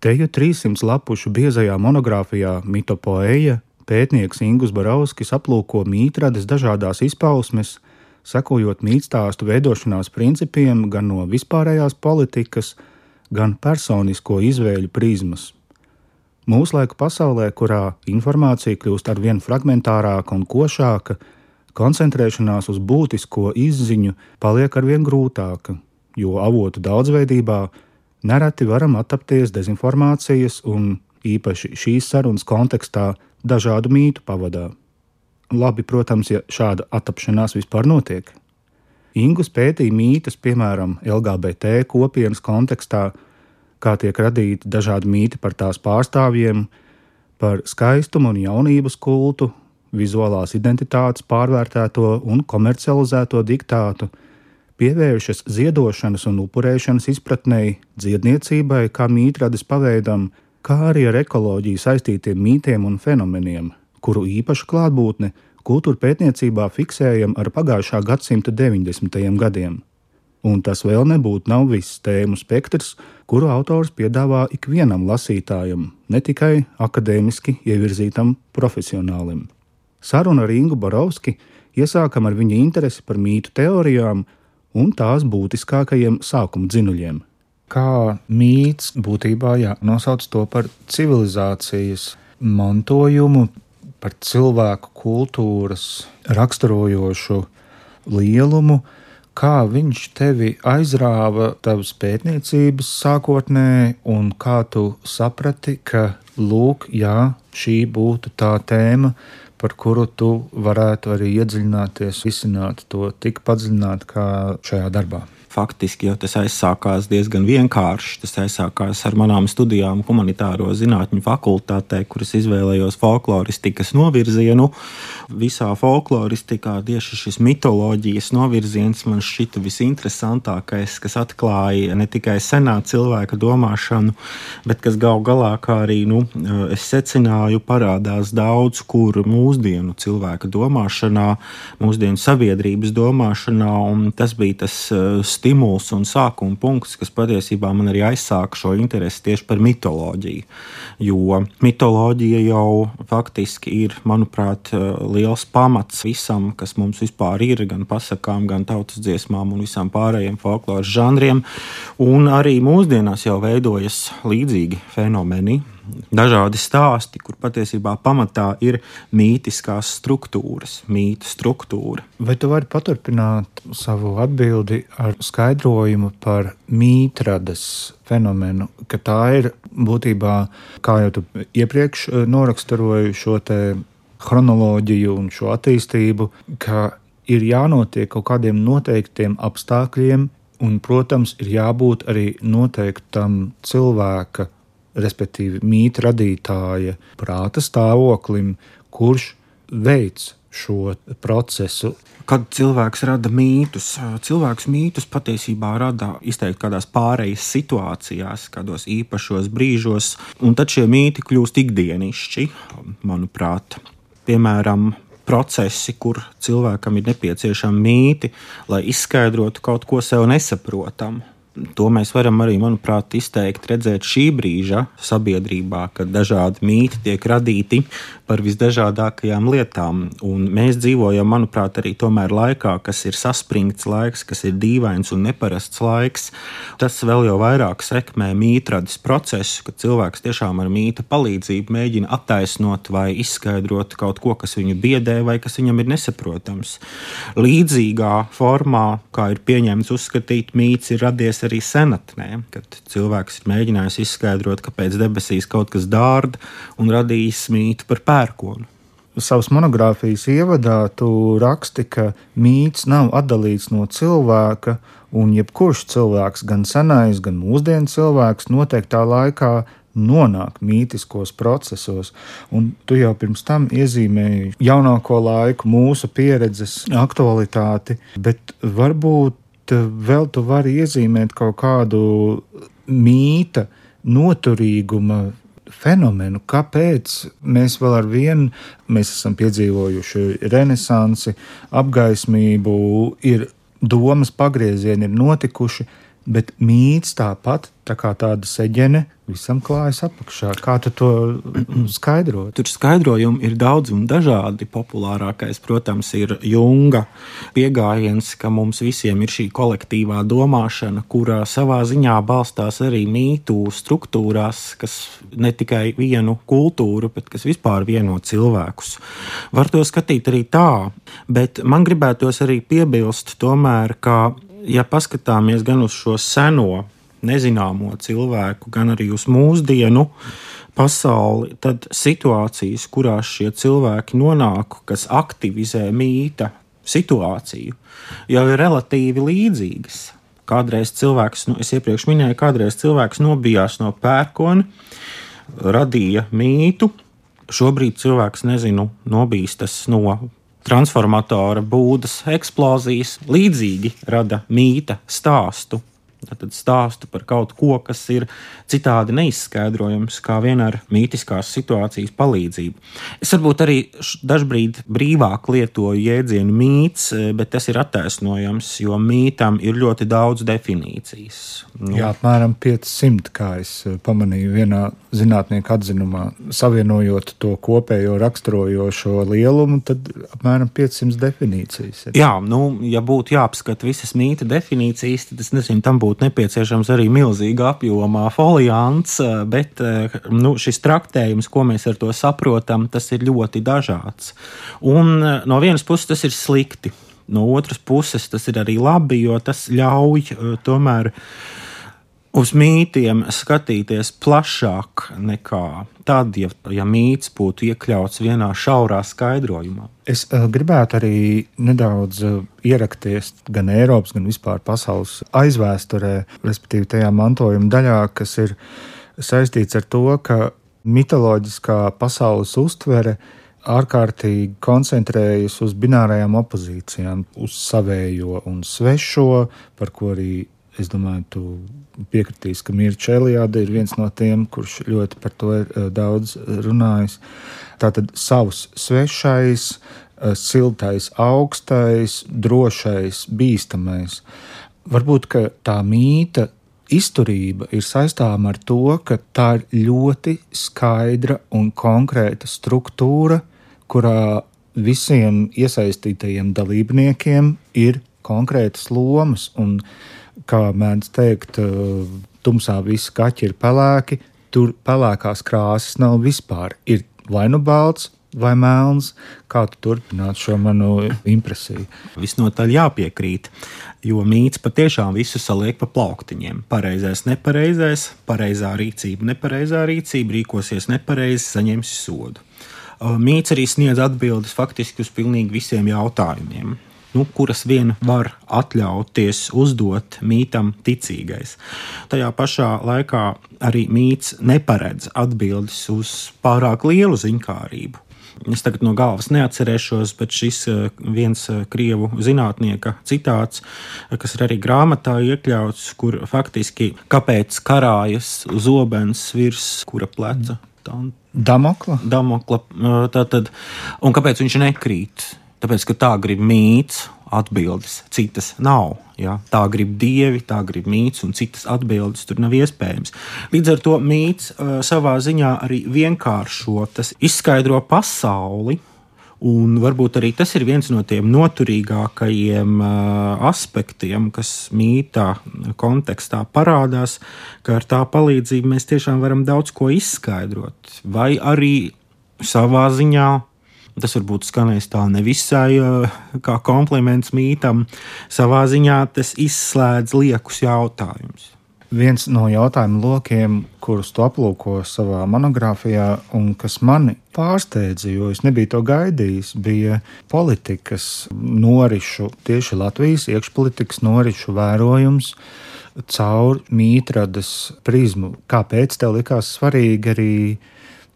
Teju 300 lapušu biezajā monogrāfijā Mitopoeja pētnieks Ingus Borauskis aplūko mītrades dažādās izpausmes, sekojot mītstāstu veidošanās principiem gan no vispārējās politikas, gan personisko izvēļu prizmas. Mūslaiku pasaulē, kurā informācija kļūst arvien fragmentārāka un košāka, koncentrēšanās uz būtisko izziņu paliek arvien grūtāka, jo avotu daudzveidībā nereti varam attapties dezinformācijas un īpaši šīs sarunas kontekstā dažādu mītu pavadā. Labi, protams, ja šāda attapšanās vispār notiek. Ingus pētīja mītus, piemēram, LGBT kopienas kontekstā, kā tiek radīti dažādi mīti par tās pārstāvjiem, par skaistumu un jaunības kultu, vizuālās identitātes pārvērtēto un komercializēto diktātu, pievēršas ziedošanas un upurēšanas izpratnei, dziedniecībai kā mītrades paveidam, kā arī ar ekoloģiju saistītiem mītiem un fenomeniem, kuru īpašu klātbūtni kultūra pētniecībā fiksējam ar pagājušā gadsimta 90. gadiem. Un tas vēl nebūtu nav viss tēmu spektrs, kuru autors piedāvā ikvienam lasītājam, ne tikai akadēmiski ievirzītam profesionālim. Sarunu ar Ingu Borauski iesākam ar viņa interesi par mītu teorijām un tās būtiskākajiem sākuma dzinuļiem. Kā mīts būtībā nosauc to par civilizācijas mantojumu, par cilvēku kultūras raksturojošu lielumu, kā viņš tevi aizrāva tavas pētniecības sākotnē un kā tu saprati, ka lūk, šī būtu tā tēma, par kuru tu varētu arī iedziļināties, risināt to tik padziļināt kā šajā darbā. Faktiski jau tas aizsākās diezgan vienkārši. Tas aizsākās ar manām studijām humanitāro zinātņu fakultātē, kuras izvēlējos folkloristikas novirzienu. Visā folkloristikā tieši šis mitoloģijas novirziens man šķita visinteresantākais, kas atklāja ne tikai senā cilvēka domāšanu, bet kas gal galā, kā arī es secināju, parādās daudz kur mūsdienu cilvēka domāšanā, mūsdienu sabiedrības domāšanā, un tas bija tas stimuls un sākuma punkts, kas patiesībā man arī aizsāka šo interesi tieši par mitoloģiju. Jo mitoloģija jau faktiski ir, manuprāt, liels pamats visam, kas mums vispār ir, gan pasakām, gan tautas dziesmām un visām pārējiem folkloras žanriem. Un arī mūsdienās jau veidojas līdzīgi fenomeni, dažādi stāsti, kur patiesībā pamatā ir mītiskās struktūras, mītu struktūra. Vai tu vari paturpināt savu atbildi ar skaidrojumu par mītrades fenomenu, ka tā ir būtībā, kā jau tu iepriekš noraksturoji šo te chronoloģiju un šo attīstību, ka ir jānotiek kaut kādiem noteiktiem apstākļiem un, protams, ir jābūt arī noteiktam cilvēka, respektīvi mītu radītāja prāta stāvoklim, kurš veic šo procesu. Kad cilvēks rada mītus, cilvēks mītus patiesībā rada izteikti kādās pārejas situācijās, kādos īpašos brīžos, un tad šie mīti kļūst ikdienišķi, manuprāt. Piemēram, procesi, kur cilvēkam ir nepieciešami mīti, lai izskaidrotu kaut ko sev nesaprotamu. To mēs varam arī, manuprāt, izteikt redzēt šī brīža sabiedrībā, kad dažādi mīti tiek radīti par visdažādākajām lietām. Un mēs dzīvojam, manuprāt, arī tomēr laikā, kas ir saspringts laiks, kas ir dīvains un neparasts laiks. Tas vēl jau vairāk sekmē mītrades procesu, kad cilvēks tiešām ar mīta palīdzību mēģina attaisnot vai izskaidrot kaut ko, kas viņu biedē vai kas viņam ir nesaprotams. Līdzīgā formā, kā ir pieņemts uzskatīt, mīts ir radies arī senatnē, kad cilvēks ir mēģinājis izskaidrot, kāpēc debesīs kaut kas dārda un radījis mītu par pērkonu. Savas monogrāfijas ievadā tu raksti, ka mīts nav atdalīts no cilvēka, un jebkurš cilvēks, gan senais, gan mūsdienu cilvēks, noteiktā laikā nonāk mītiskos procesos. Un tu jau pirms tam iezīmēji jaunāko laiku, mūsu pieredzes aktualitāti, bet varbūt vēl tu vari iezīmēt kaut kādu mīta noturīguma fenomenu, kāpēc mēs vēl ar vienu, mēs esam piedzīvojuši renesansi, apgaismību, ir domas pagriezieni ir notikuši, bet mīts tāpat, tā kā tāda seģene, visam klājas apakšā. Kā tu to skaidrot? Tur skaidrojumi ir daudz un dažādi. Populārākais, protams, ir Junga pieejams, ka mums visiem ir šī kolektīvā domāšana, kurā savā ziņā balstās arī mītu struktūrās, kas ne tikai vienu kultūru, bet kas vispār vieno cilvēkus. Var to skatīt arī tā, bet man gribētos arī piebilst tomēr, ka ja paskatāmies gan uz šo seno, nezināmo cilvēku, gan arī uz mūsdienu pasauli, tad situācijas, kurās šie cilvēki nonāk, kas aktivizē mīta situāciju, jau ir relatīvi līdzīgas. Kādreiz cilvēks, es iepriekš minēju, kādreiz cilvēks nobijās no pērkona, radīja mītu. Šobrīd cilvēks, nobīstas no transformatora būdas eksplozijas, līdzīgi rada mīta stāstu. Tad stāstu par kaut ko, kas ir citādi neizskaidrojams, kā vien ar mītiskās situācijas palīdzību. Es varbūt arī dažbrīd brīvāk lietoju jēdzienu mīts, bet tas ir attaisnojams, jo mītam ir ļoti daudz definīcijas. Jā, apmēram 500, kā es pamanīju vienā zinātnieku atzinumā, savienojot to kopējo raksturojošo lielumu, tad apmēram 500 definīcijas. Jā, ja būtu jāapskata visas mīta definīcijas, tad es nezinu, tam būtu nepieciešams arī milzīga apjomā foliants, bet šis traktējums, ko mēs ar to saprotam, tas ir ļoti dažāds. Un no vienas puses tas ir slikti, no otras puses tas ir arī labi, jo tas ļauj tomēr uz mītiem skatīties plašāk nekā tad, ja mīts būtu iekļauts vienā šaurā skaidrojumā. Es gribētu arī nedaudz ierakties gan Eiropas, gan vispār pasaules aizvēsturē, respektīvi tajā mantojuma daļā, kas ir saistīts ar to, ka mitoloģiskā pasaules uztvere ārkārtīgi koncentrējas uz binārajām opozīcijām, uz savējo un svešo, par ko arī es domāju, tu piekritīs, ka Mirča Eliāde ir viens no tiem, kurš ļoti par to ir daudz runājis. Tātad savs svešais, siltais, augstais, drošais, bīstamais. Varbūt, ka tā mīta izturība ir saistāma ar to, ka tā ir ļoti skaidra un konkrēta struktūra, kurā visiem iesaistītajiem dalībniekiem ir konkrētas lomas un kā mēdz teikt, tumsā visi kaķi ir pelēki, tur pelēkās krāsas nav vispār. Ir vai nu balts, vai melns, kā tu turpināt šo manu impresiju? Visnotaļ jāpiekrīt, jo mīts patiešām visu saliek pa plauktiņiem. Pareizais, nepareizais, pareizā rīcība, nepareizā rīcība, rīkosies nepareizi, saņemsi sodu. Mīts arī sniedz atbildes faktiski uz pilnīgi visiem jautājumiem, kuras vien var atļauties uzdot mītam ticīgais. Tajā pašā laikā arī mīts neparedz atbildes uz pārāk lielu ziņkārību. Es tagad no galvas neatcerēšos, bet šis viens krievu zinātnieka citāts, kas ir arī grāmatā iekļauts, kur faktiski kāpēc karājas zobens virs kura pleca? Damokla, tātad, un kāpēc viņš nekrīt? Tāpēc, ka tā grib mīts, atbildes citas nav. Ja? Tā grib dievi, tā grib mīts, un citas atbildes tur nav iespējams. Līdz ar to mīts savā ziņā arī vienkāršo, tas izskaidro pasauli, un varbūt arī tas ir viens no tiem noturīgākajiem aspektiem, kas mītā kontekstā parādās, ka ar tā palīdzību mēs tiešām varam daudz ko izskaidrot, vai arī savā ziņā. Tas varbūt skanēs tā nevisai kā kompliments mītam. Savā ziņā tas izslēdz liekus jautājumus. Viens no jautājumu lokiem, kurus tu aplūko savā monogrāfijā un kas mani pārsteidza, jo es nebiju to gaidījis, bija politikas norišu, tieši Latvijas iekšpolitikas norišu vērojums caur mītradas prizmu. Kāpēc tev likās svarīgi arī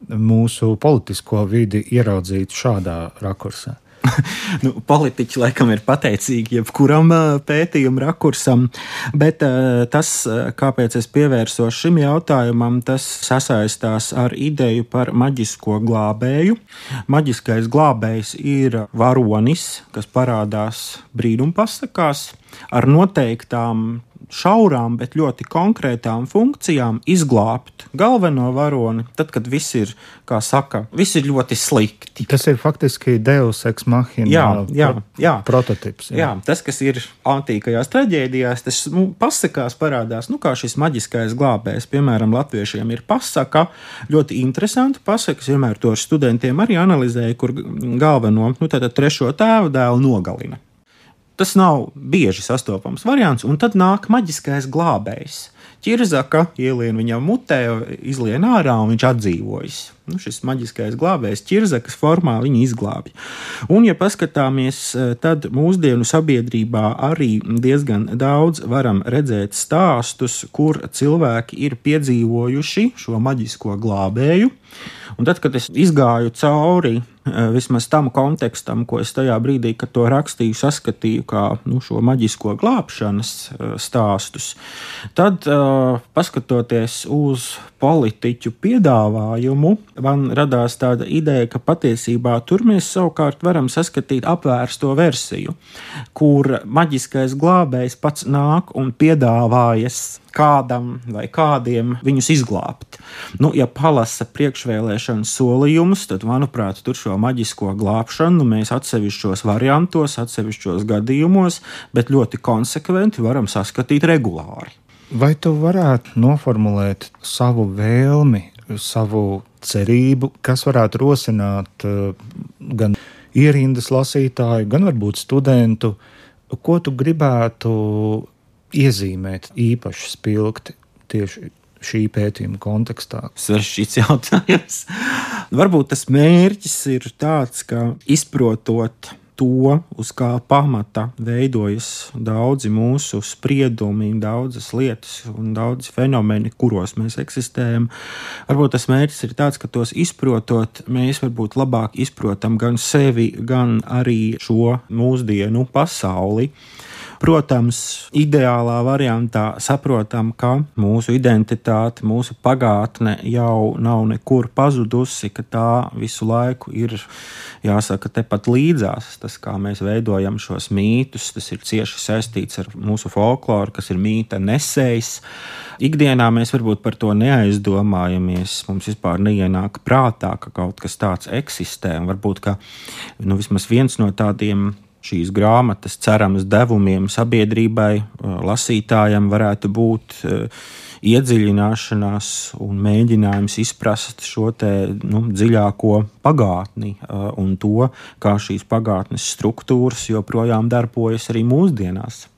mūsu politisko vidi ieraudzīt šādā rakursā? Politiķi laikam ir pateicīgi jebkuram pētījuma rakursam, bet tas, kāpēc es pievērsos šim jautājumam, tas sasaistās ar ideju par maģisko glābēju. Maģiskais glābējs ir varonis, kas parādās brīnumpasakās ar noteiktām šaurām, bet ļoti konkrētām funkcijām izglābt galveno varoni, tad, kad viss ir, kā saka, viss ir ļoti slikti. Tas ir faktiski Deus ex machina prototips. Jā, tas, kas ir antīkajās traģēdijās, tas pasakās parādās, kā šis maģiskais glābējs, piemēram, latviešiem ir pasaka, ļoti interesanti pasakas, vienmēr to ar studentiem arī analizēju, kur galveno, tātad trešo tēvu dēlu nogalina. Tas nav bieži sastopams variants, un tad nāk maģiskais glābējs. Ķirzaka ielien viņam mutē, izlien ārā, un viņš atdzīvojas. Šis maģiskais glābējs ķirzakas formā viņu izglābj. Un, ja paskatāmies, tad mūsdienu sabiedrībā arī diezgan daudz varam redzēt stāstus, kur cilvēki ir piedzīvojuši šo maģisko glābēju. Un tad, kad es izgāju cauri vismaz tam kontekstam, ko es tajā brīdī, kad to rakstīju, saskatīju kā šo maģisko glābšanas stāstus, tad, paskatoties uz politiķu piedāvājumu, man radās tāda ideja, ka patiesībā tur mēs savukārt varam saskatīt apvērsto versiju, kur maģiskais glābējs pats nāk un piedāvājas kādam vai kādiem viņus izglābt. Ja palasa priekšvēlēšanu solījumus, tad, manuprāt, tur šo maģisko glābšanu mēs atsevišķos variantos, atsevišķos gadījumos, bet ļoti konsekventi varam saskatīt regulāri. Vai tu varētu noformulēt savu vēlmi, savu cerību, kas varētu rosināt gan ierindas lasītāju, gan varbūt studentu, ko tu gribētu iezīmēt īpaši spilgti tieši šī pētījuma kontekstā? Sarežģīts jautājums. Varbūt tas mērķis ir tāds, ka izprotot to, uz kā pamata veidojas daudzi mūsu spriedumi, daudzas lietas un daudzi fenomeni, kuros mēs eksistējam. Varbūt tas mērķis ir tāds, ka tos izprotot, mēs varbūt labāk izprotam gan sevi, gan arī šo mūsdienu pasauli. Protams, ideālā variantā saprotam, ka mūsu identitāte, mūsu pagātne jau nav nekur pazudusi, ka tā visu laiku ir, jāsaka, tepat līdzās. Tas, kā mēs veidojam šos mītus, tas ir cieši saistīts ar mūsu folkloru, kas ir mīta nesējs. Ikdienā mēs varbūt par to neaizdomājamies, mums vispār neienāk prātā, ka kaut kas tāds eksistē. Un varbūt, ka vismaz viens no tādiem šīs grāmatas cerams devumiem sabiedrībai, lasītājam varētu būt iedziļināšanās un mēģinājums izprast šo te dziļāko pagātni un to, kā šīs pagātnes struktūras joprojām darbojas arī mūsdienās.